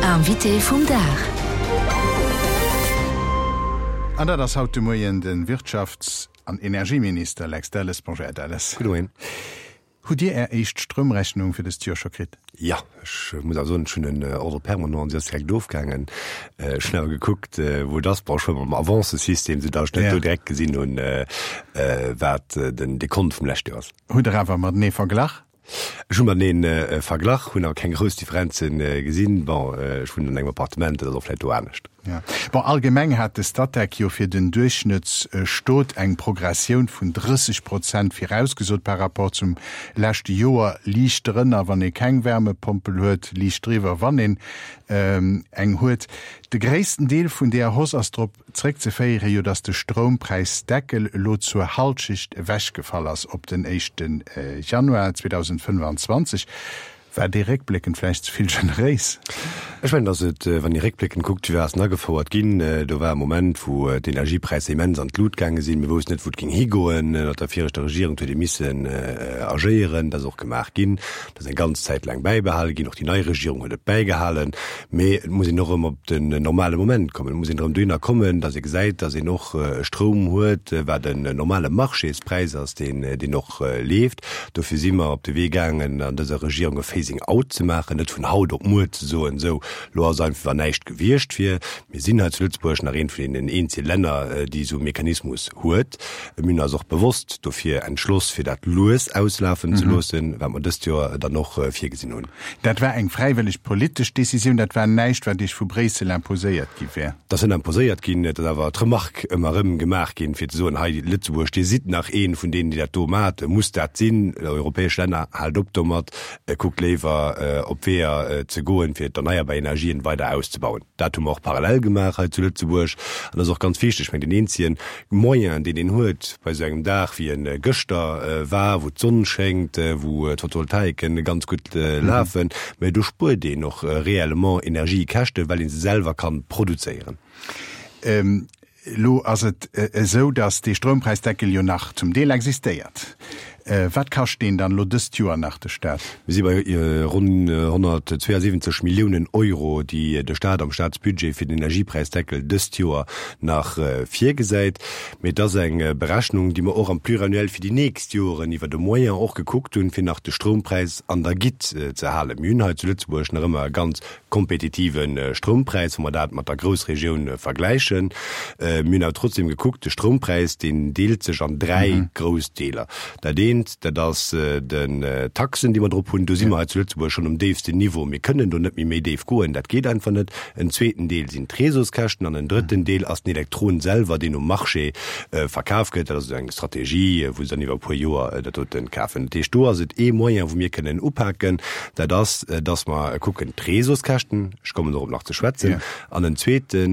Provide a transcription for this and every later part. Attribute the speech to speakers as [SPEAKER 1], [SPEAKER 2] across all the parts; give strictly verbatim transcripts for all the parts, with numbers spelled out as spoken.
[SPEAKER 1] Invité vum Dag.
[SPEAKER 2] An dat ass haut de Moien de Wirtschafts an Energieminister Lex Delles. Bonjour, Här Delles.
[SPEAKER 3] Gudde Moien.
[SPEAKER 2] Hutt Dir Är éischt Stroumrechnung fir dëst Joer scho kritt?
[SPEAKER 3] Jo, ech muss awer soen, ech hunn en Ordre permanent an si ass direkt ofgaangen. Ech hunn awer gekuckt, wou et ass. Bon, ech war mam Avancesystem, soudatt ech net do direkt gesinn hunn, wat den Dekont vum leschte Joer ass.
[SPEAKER 2] Hutt Der awer matenee verglach?
[SPEAKER 3] Ech hu matenee verglach, hunn awer keng grouss Differenze gesinn. Bon, ech wunnen an engem Appartement, dat ass och vläicht do anescht.
[SPEAKER 2] Ja. Bon, allgemeng hat de Statec jo fir den Duerchschnëttsstot eng Progressioun vun drësseg Prozent virausgesot par rapport zum leschte Joer, liicht drënner, wann ee keng Wärmepompel huet, liicht driwwer, wann een eng huet. De gréissten Deel vun där Hausse ass drop zréckzeféieren, jo datt de Stroumpräisdeckel elo zur Halschecht ewechgefall ass op den éischte Januar zweedausendfënnfanzwanzeg. War dee réckbléckend vläicht ze vill generéis?
[SPEAKER 3] Ech mengen, datt et, wann ee réckbléckend kuckt, wéi ass en agefouert ginn, do war e Moment, wou d'Energiepräisser immens an d'Lut gaange sinn. Mir woussten net, wou et géing higoen. Ënnert der viregter Regierung huet ee missen agéieren. Dat ass och gemaach ginn. Dat ass eng ganz Zäit laang bäibehale ginn. Och déi nei Regierung huet et bäigehalen. Mee et muss een och erëm op den normale Moment kommen. Et muss een erëm dohinner kommen, datt ee gesäit, datt een och e Stroum huet, wat en normale Marchéspräis ass, deen, deen och leeft. Dofir si mer op de Wee gaangen, an dëser Regierung e Phasing out ze maachen, net vun haut op muer ze soen, esou, elo ass einfach, wann näischt gewiescht wier. Mir sinn hei zu Lëtzebuerg nach eent vun deenen eenzege Länner, déi esou e Mechanismus huet. Mir hunn eis och bewosst dofir entschloss, fir dat lues auslafen ze loossen, wat mer dëst Joer dann och virgesinn hunn.
[SPEAKER 2] Dat war eng fräiwëlleg politesch Decisioun, dat war näischt, wat Iech vu Bréissel imposéiert gi wär?
[SPEAKER 3] Dat ass net imposéiert ginn, et ass awer d'Remark ëmmer erëm gemaach ginn, fir ze soen, hei Lëtzebuerg, Dir sidd nach ee vun deenen, déi dat do maacht, muss dat sinn? Europäesch Länner, haalt op domat, kuckt léiwer op Weeër ze goen, fir d'erneierbar Energien weider auszebauen. Dat hu mer och parallel gemaach hei zu Lëtzebuerg an dat ass och ganz wichteg. Ech mengen, deen eenzege Moyen, deen een huet bei esou engem Dag, wéi e gëschter war, wou d'Sonn schéngt, wou d'Photovoltaiken ganz gutt lafen, mä do spuert een och réellement Energiekäschten, well ee se selwer ka produzéieren.
[SPEAKER 2] Elo ass et esou, datt dee Stroumpräisdeckel jo nach zum Deel existéiert. Wat kascht deen dann elo dëst Joer nach de Staat?
[SPEAKER 3] Mir si bei ronn honnertzweeasiwwenzeg Milliounen Euro, déi de Staat am Staatsbudget fir den Energiepräisdeckel dëst Joer nach virgesäit. Mee et ass eng Berechnung, déi mer och am Pluriannuel fir déi nächst Joren iwwer de Moyen och gekuckt hunn, fir nach de Stroumpräis an der Gitt ze halen. Mir hunn hei zu Lëtzebuerg nach ëmmer e ganz kompetitive Stroumpräis, wa mer dat mat der Groussregioun vergläichen. Mir hunn awer trotzdem gekuckt, de Stroumpräis, deen deelt sech an dräi grouss Deeler. Dat eent, dat ass den Taxen, déi mer drop hunn. Do si mer hei zu Lëtzebuerg schonn um déifsten Niveau. Mir kënnen do net méi méi déif goen, dat geet einfach net. En zweeten Deel sinn d'Réseauskäschten an en drëtten Deel ass den Elektron selwer, deen um Marché verkaf gëtt. Dat ass esou eng Strategie, wou se dann iwwer e puer Joer dat doten kafen. Dat heescht, do ass et ee Moyen, wou mir kënnen upaken, dat ass, dass mer kucken d'Réseauskäschten, ech kommen dorop nach ze schwätzen, an en zweete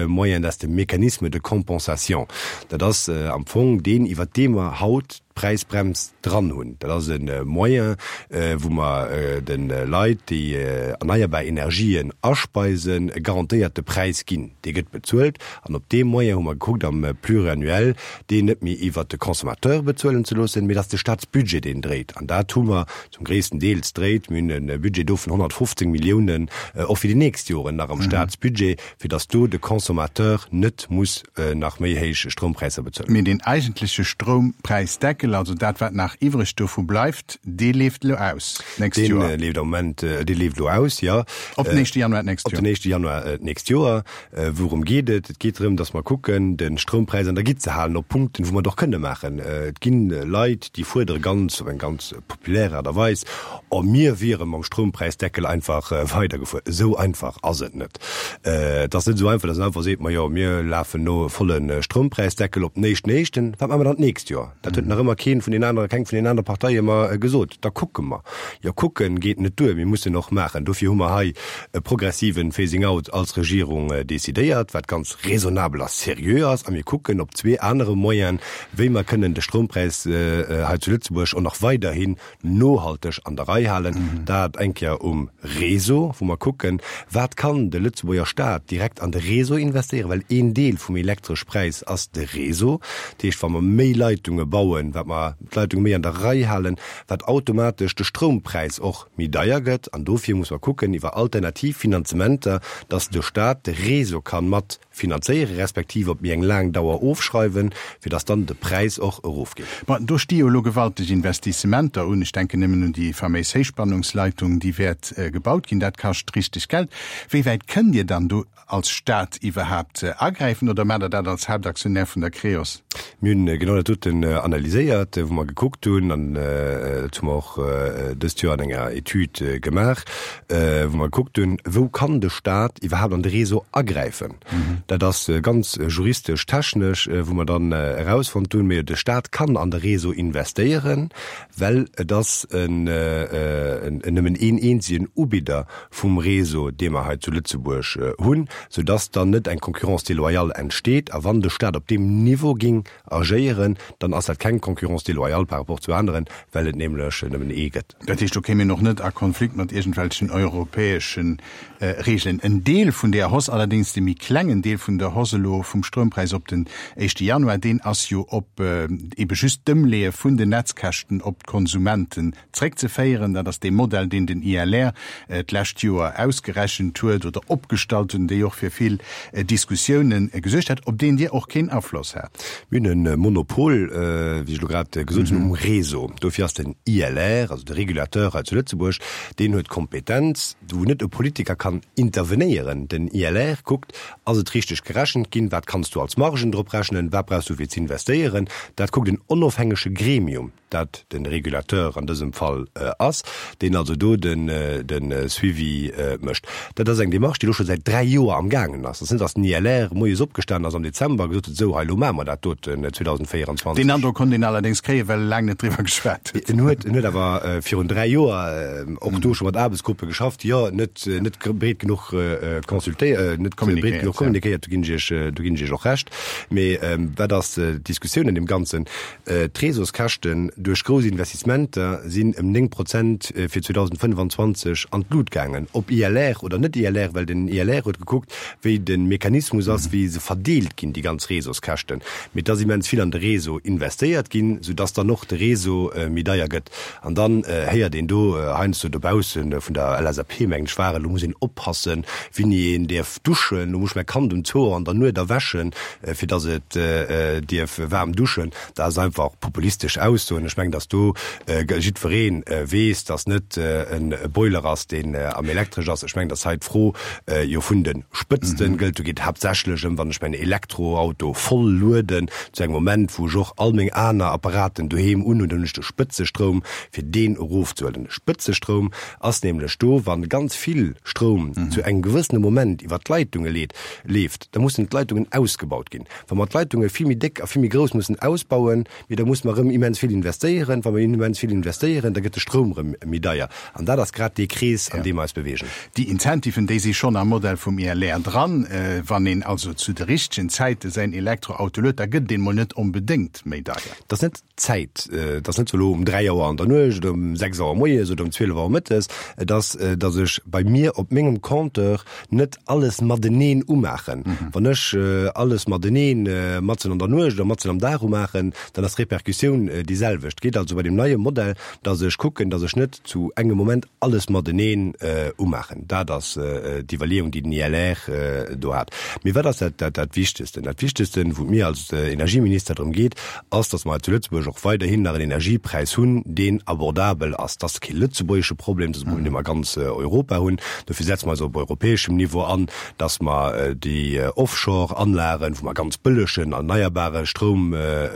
[SPEAKER 3] Moyen, dat ass de Mécanisme de compensation. Dat ass am Fong deen, iwwert dee mer haut d'Präisbrems dran hunn. Dat ass e Moyen, wou mer de Leit, déi erneierbar Energien aspeisen, e garantéierte Präis ginn. Dee gëtt bezuelt. An op deem Moyen hu mer gekuckt am Pluriannuel, deen net méi iwwert de Consommateur bezuelen ze loossen, mee dass de Staatsbudget deen dréit. An dat hu mer zum gréissten Deels dréit. Mir hunn e Budget do vun honnertfofzéng Milliounen och fir déi nächst Joren nach am Staatsbudget, fir dass do de Consommateur net muss nach méi héich Stroumpräisser bezuelen.
[SPEAKER 2] Mee deen eigentleche Stroumpräisdeckel, also dat wat nach iwwreg dovu bleift, dee leeft elo aus d'nächst Joer?
[SPEAKER 3] Dee leeft am Moment, dee leeft elo aus, jo.
[SPEAKER 2] Op den éischte Januar d'nächst Joer.
[SPEAKER 3] Op den éischte Januar d'nächst Joer. Wourëm geet et? Et geet drëm, dass mer kucken, de Stroumpräis an der Gitt ze halen op Punkten, wou mer et och kënne maachen. Et gi Leit, déi fuerdere ganz, op eng ganz populär Aart a Weis, Oh, mir wiere mam Stroumpräisdeckel einfach weidergefuer. Esou einfach ass et net. Et ass net esou einfach, dass een einfach seet, Majo, mir lafen no volle Stroumpräisdeckel op den éischten éischten. Wat maache mer dann d'nächst Joer? Dat huet nach ëmmer keen vun den anere, keng vun den anere Parteie mer gesot. Da kucke mer. Jo, kucken geet net duer, mir mussen och maachen. Dofir hu mer hei e progressiven Phasing out als Regierung decidéiert, wat ganz raisonnabel a seriö ass. A mir kucken op zwee anere Moyen, wéi mer kënnen de Stroumpräis hei zu Lëtzebuerg och nach weiderhin nohalteg an der Rei halen. Dat eng Kéier um Réseau, wou mer kucken, wat kann de Lëtzebuerger Staat direkt an de Réseau investéieren, well een Deel vum Elektreschpräis ass de Réseau. Dat heescht, wa mer méi Leitunge bauen, wat datt mer d'Leitunge méi an der Rei halen, wat automatesch de Stroumpräis och méi deier gëtt. An dofir muss mer kucken iwwer alternativ Finanzementer, datt de Staat de Réseau ka mat finanzéieren, respektiv op méi eng laang Dauer ofschreiwen, fir datt dann de Präis och erofgeet.
[SPEAKER 2] Ma do sti jo elo gewalteg Investissementer un. Ech denken nëmmen un déi faméis Héichspannungsleitung, déi wäert gebaut ginn. Dat kascht richteg Geld. Wéi wäit kënnt Dir dann do als Staat iwwerhaapt agräifen oder maacht Der dat als Haaptaktionär vun der Creos?
[SPEAKER 3] Mir hunn genau dat doten analyséiert, wou mer gekuckt hunn, an dat hu mer och dëst Joer an enger Etüd gemaach, wou mer gekuckt hunn, wou kann de Staat iwwerhaapt an de Réseau agräifen. Dat ass ganz juristesch, technesch, wou mer dann erausfonnt hunn, mee de Staat kann an de Réseau investéieren, well et ass en nëmmen een eenzegen Ubidder vum Réseau, dee mer hei zu Lëtzebuerg hunn, soudass dann net eng Concurrence déloyale entsteet. A wann de Staat op deem Niveau géing agéieren, dann ass dat keng Concurrence déloyale par rapport zu aneren, well et nämlech nëmmen ee gëtt.
[SPEAKER 2] Dat heescht, do kéim een och net a Konflikt mat iergendwelchen europäesche Regeln. En Deel vun där Hausse, allerdéngs de méi klengen Deel vun der Hausse elo vum Stroumpräis op den éischte Januar, deen ass jo op ebe just d'Ëmleeë vun den Netzkäschten op d'Konsumenten zréckzeféieren. Dat ass dee Modell, deen den I L R d'lescht Joer ausgerechent huet oder opgestallt huet, dee och fir vill Diskussiounen gesuergt hat, op deen Dir och keen Afloss hat.
[SPEAKER 3] Mir hunn e Monopol, wéi ech elo grad gesot hunn, um Réseau. Dofir ass den I L R, also de Régulateur hei zu Lëtzebuerg, deen huet d'Kompetenz, wou net e Politiker kann intervenéieren. Den I L R kuckt, ass et richteg gerechent ginn, wat kanns du als Margen drop rechnen, wat brauchs du fir z'investéieren. Dat kuckt en onofhängege Gremium, dat de Régulateur an dësem Fall ass, deen also do de Suivi mécht. Dat ass eng Démarche, déi elo scho säit dräi Joer am gaangen ass. Et ass net, datt den I L R moies opgestanen ass am Dezember a gesot huet, esou hei, elo maache mer dat doten zweedausendvéierundzwanzeg.
[SPEAKER 2] Deen Androck konnt een allerdéngs kréien, well e laang net driwwer geschwat huet.
[SPEAKER 3] En huet, en huet awer virun dräi Joer och do scho mat Aarbechtsgruppe geschafft, jo, net, net breet genuch consultéiert, net breet genuch kommunikéiert, do ginn ech Iech, do ginn ech Iech och Recht. Mee wat ass d'Diskussioun an deem Ganzen? D'Réseauskäschten duerch grouss Investissementer sinn ëm néng Prozent fir zweedausendfënnefanzwanzeg an d'Lut gaangen. Ob I L R oder net I L R, well den I L R huet gekuckt, wéi de Mechanismus ass, wéi se verdeelt ginn, déi ganz Réseauskäschten. Mee et ass immens vill an de Réseau investéiert ginn, soudass dann och de Réseau méi deier gëtt. An dann héiert een do heiansdo dobausse vun der L S A P, mengen ech war et, elo muss een oppassen, wéini een däerf duschen, elo muss ech mäi Kand um zwou Auer an der Nuet erwächen, fir datt et dierf waarm duschen. Dat ass einfach populistesch Aussoen. Ech mengen, datt do jiddweree weess, datt net e Boiler ass, deen am Elektresch ass. Ech mengen, datt hei d'Fro jo vun de Spëtzte gëllt. Do geet et haaptsächlech ëm, wann ech mäin Elektroauto voll lueden, zu engem Moment, wou ech och all meng aner Apparaten doheem unhunn, dann hunn ech de Spëtzestroum, fir deen erofzehuelen. De Spëtzestroum ass nämlech do, wa ganz vill Stroum zu engem gewëssene Moment iwwer d'Leitunge leet, leeft, da mussen d'Leitungen ausgebaut ginn. Wa mer d'Leitunge vill méi déck a vill méi grouss mussen ausbauen, mee da musse mer erëm immens vill investéieren. Wa mer immens vill investéieren, da gëtt de Stroum erëm méi deier. An dat ass grad dee Krees, an deem mer eis beweegen.
[SPEAKER 2] Déi Incentiven, déi si schonn am Modell vum I L R dran. Wann een also zu de richtegen Zäite säin Elektroauto luet, da gëtt deen mol net onbedéngt méi deier.
[SPEAKER 3] Dat ass net d'Zäit. Et ass net sou elo um dräi Auer an der Nuecht oder um sechs Auer moies oder um zwielef Auer mëttes. Et ass, datt ech bei mir op mengem Compteur net alles mateneen umaachen. Wann ech alles mateneen matzen an der Nuecht oder matzen am Dag umaachen, dann ass d'Repercussioun déi selwecht. Et geet also bei deem neie Modell, datt ech kucken, datt ech net zu engem Moment alles mateneen umaachen. Dat ass d'Iwwerleeung, déi den I L R do hat. Mee wat ass dat, dat Wichtegsten? Dat Wichtegsten, wou et mir als Energieminister drëm geet, ass, datt mer hei zu Lëtzebuerg och weiderhin nach en Energiepräis hunn, deen abordabel ass. Dat ass kee lëtzebuergesche Problem, dat ass e Problem, dee mer a ganz Europa hunn. Dofir setze mer eis op europäeschem Niveau an, datt mer déi Offshore-Anlagen, wou mer ganz bëllegen erneierbare Stroum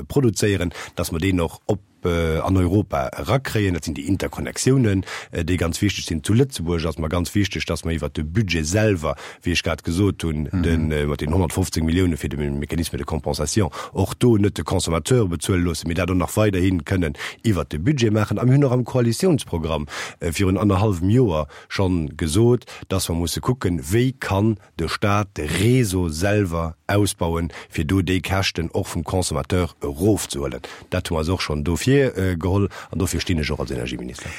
[SPEAKER 3] produzéieren, datt mer deen och op an Europa erakréien. Dat sinn déi Interkonnektiounen, déi ganz wichteg sinn. Zu Lëtzebuerg ass mer ganz wichteg, datt mer iwwert de Budget selwer, wéi ech grad gesot hunn, de mat den honnertfofzéng Millioune fir de Mécanisme de compensation, och do net de Consommateur bezuele loossen, mee dat och nach weiderhi kënnen iwwert de Budget maachen. A mir hunn och am Koalitiounsprogramm virun annerhallwem Joer schonn gesot, datt mer musse kucken, wéi kann de Stat de Réseau selwer ausbauen, fir do déi Käschten och vum Consommateur erofzehuelen. Dat hu mer eis och schonn do virgeholl. virgeholl an dofir stinn ech och als Energieminister.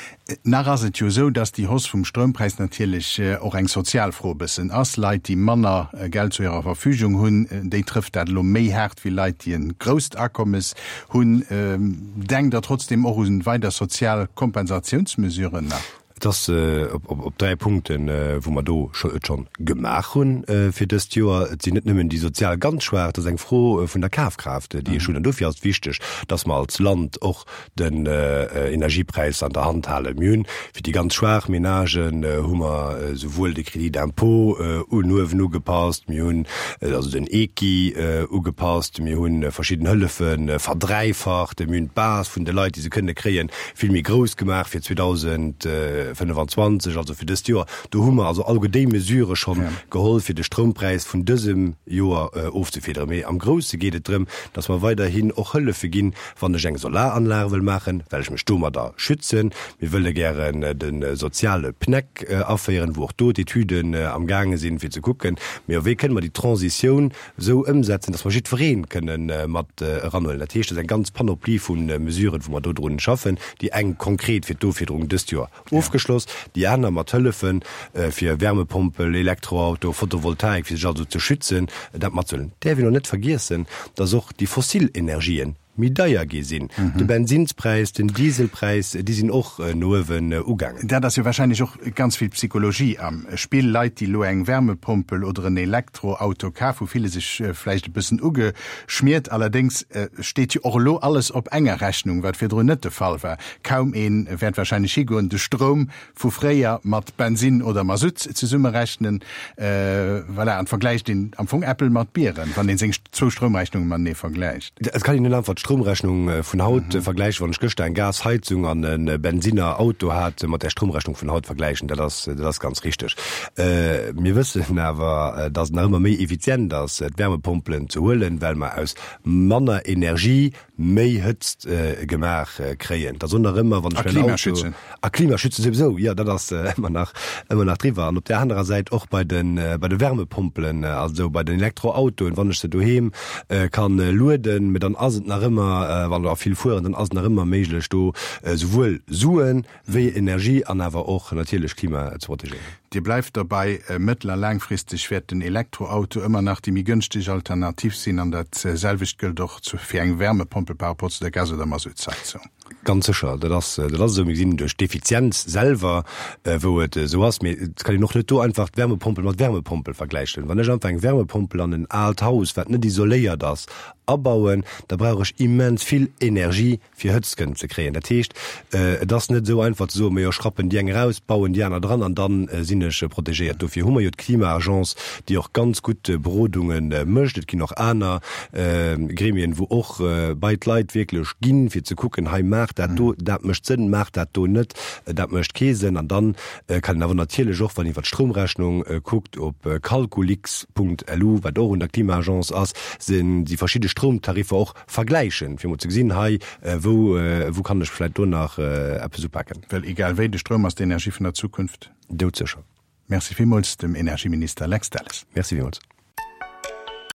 [SPEAKER 2] Nach ass et jo esou, dass déi Hausse vum Stroumpräis natierlech och eng sozial Fro e bëssen ass. Leit, déi manner Geld zu hirer Verfügung hunn, déi trëfft dat elo méi haart wéi Leit, déi e grousst Akommes hunn. Denkt Der trotzdem och un weider sozial Kompensatiounsmesuren nach?
[SPEAKER 3] Et ass op dräi Punkten, wou mer do et schonn gemaach hunn fir dëst Joer. Et sinn net nëmmen déi sozial ganz Schwaach, et ass eng Fro vun der Kafkraaft, déi ech hunn. An dofir ass et wichteg, dass mer als Land och den Energiepräis an der Hand halen. Mir hunn fir déi ganz schwaach Menagen hu mer souwuel de Crédit d'impôt un uewen ugepasst, mir hunn also den ECI ugepasst, mir hu verschidden Hëllefe verdräifacht, mir hunn d'Base vun de Leit, déi se kënne kréien, vill méi grouss gemaach fir zweedausendfënnefenzwanzeg, also fir dëst Joer. Do hu mer also alleguer déi Mesurë schonn geholl, fir de Stroumpräis vun dësem Joer ofzefiederen. Mee am Grousse geet et drëm, dass mer weiderhin och Hëllefe ginn, wann ech eng Solaranlag wëll maachen, well ech mech domadder schützen. Mir wëlle gären de soziale PNEC aféieren, wou och do d'Etüden amgaange sinn, fir ze kucken, mee wéi kënne mer déi Transitioun esou ëmsetzen, dass mer jiddweree kënne mat eranhuelen. Dat heescht, et ass eng ganz Panoplie vu Mesuren, wou mer do drun schaffen, déi eng konkret fir d'Offiederung dëst Joer ofgeschloss, déi aner mat Hëllefe fir Wärmepompel, Elektroauto, Photovoltaik, fir sech also ze schützen, dat matzehuelen. Däerf een och net vergiessen, dass och déi fossil Energien méi deier gi sinn. De Bensinnspräis, den Dieselpräis, déi sinn och no uewen ugaangen.
[SPEAKER 2] Dat ass jo wahrscheinlech och ganz vill Psychologie am Spill. Leit, déi elo eng Wärmepompel oder en Elektroauto kaf hu, fille sech vläicht e bëssen ugeschmiert. Allerdéngs steet jo och elo alles op enger Rechnung, wat virdrun net de Fall war. Kaum ee wäert wahrscheinlech higoen, de Stroum vu fréier mat Bensinn oder Masutt zesummerechnen. Voilà, an vergläicht een am Fong Äppel mat Bieren, wann een seng zwou Stroumrechnunge matenee vergläicht.
[SPEAKER 3] Et kann een net einfach d'Stroumrechnung vun haut vergläichen, wann ech gëschter eng Gasheizung an e Bensinner Auto hat, mat der Stroumrechnung vun haut vergläichen. Dat ass, dat ass ganz richteg. Mir wëssen awer, dass et nach ëmmer méi effizient ass, d'Wärmepompelen ze huelen, well mer aus manner Energie méi Hëtzt gemaach kréien. Dat ass och nach ëmmer, wann ech mäin Auto. A Klima schützen. A Klima schützen souwisou, jo, dat ass ëmmer nach, ëmmer nach driwwer. An op där anerer Säit och bei de, bei de Wärmepompelen, also bei den Elektroautoen, wann ech se doheem kann lueden, mä dann ass et nach ëmmer, wann der vill fueren, dann ass et nach ëmmer méiglech do souwuel Suen wéi Energie an awer och natierlech Klima ze protegéieren.
[SPEAKER 2] Dir bleift dobäi, mëttel a laangfristeg wäert den Elektroauto ëmmer nach déi méi gënschteg Alternativ sinn an dat selwecht gëllt och fir eng Wärmepompel par rapport zu der Gas oder Masuttsheizung.
[SPEAKER 3] Ganz sécher, dat ass dat ass esou. Mir gesinn duerch d'Effizienz selwer, wou et esou ass. Mee et kann een och net do einfach d'Wärmepompel mat Wärmepompel vergläichen. Wann ech einfach eng Wärmepompel an en aalt Haus, wat net isoléiert ass, abauen, da brauch ech immens vill Energie, fir Hëtzt kënnen ze kréien. Dat heescht, et ass net esou einfach ze soen, majo, ech rappen déi eng eraus, bauen déi aner dran an da sinn ech protegéiert. Dofir hu mer jo d'Klima-Agence, déi och ganz gutt Berodunge mécht. Et ginn och aner Gremien, wou och bei d'Leit wierklech ginn, fir ze kucken, hei maacht dat do, dat mécht Sënn, maacht dat do net, dat mécht kee Sënn. An dann kann een awer natierlech och, wann een iwwer d'Stroumrechnung kuckt, op calculix Punkt lu, wat och un der Klima-Agence ass, sinn déi verschidde Stroumtariffer och vergläichen, fir emol ze gesinn, hei, wou, wou kann ech vläicht do nach eppes upaken.
[SPEAKER 2] Well egal wéi, de Stroum ass d'Energie vun der Zukunft.
[SPEAKER 3] Doudsécher.
[SPEAKER 2] Merci villmools dem Energieminister Lex Delles.
[SPEAKER 3] Merci villmools.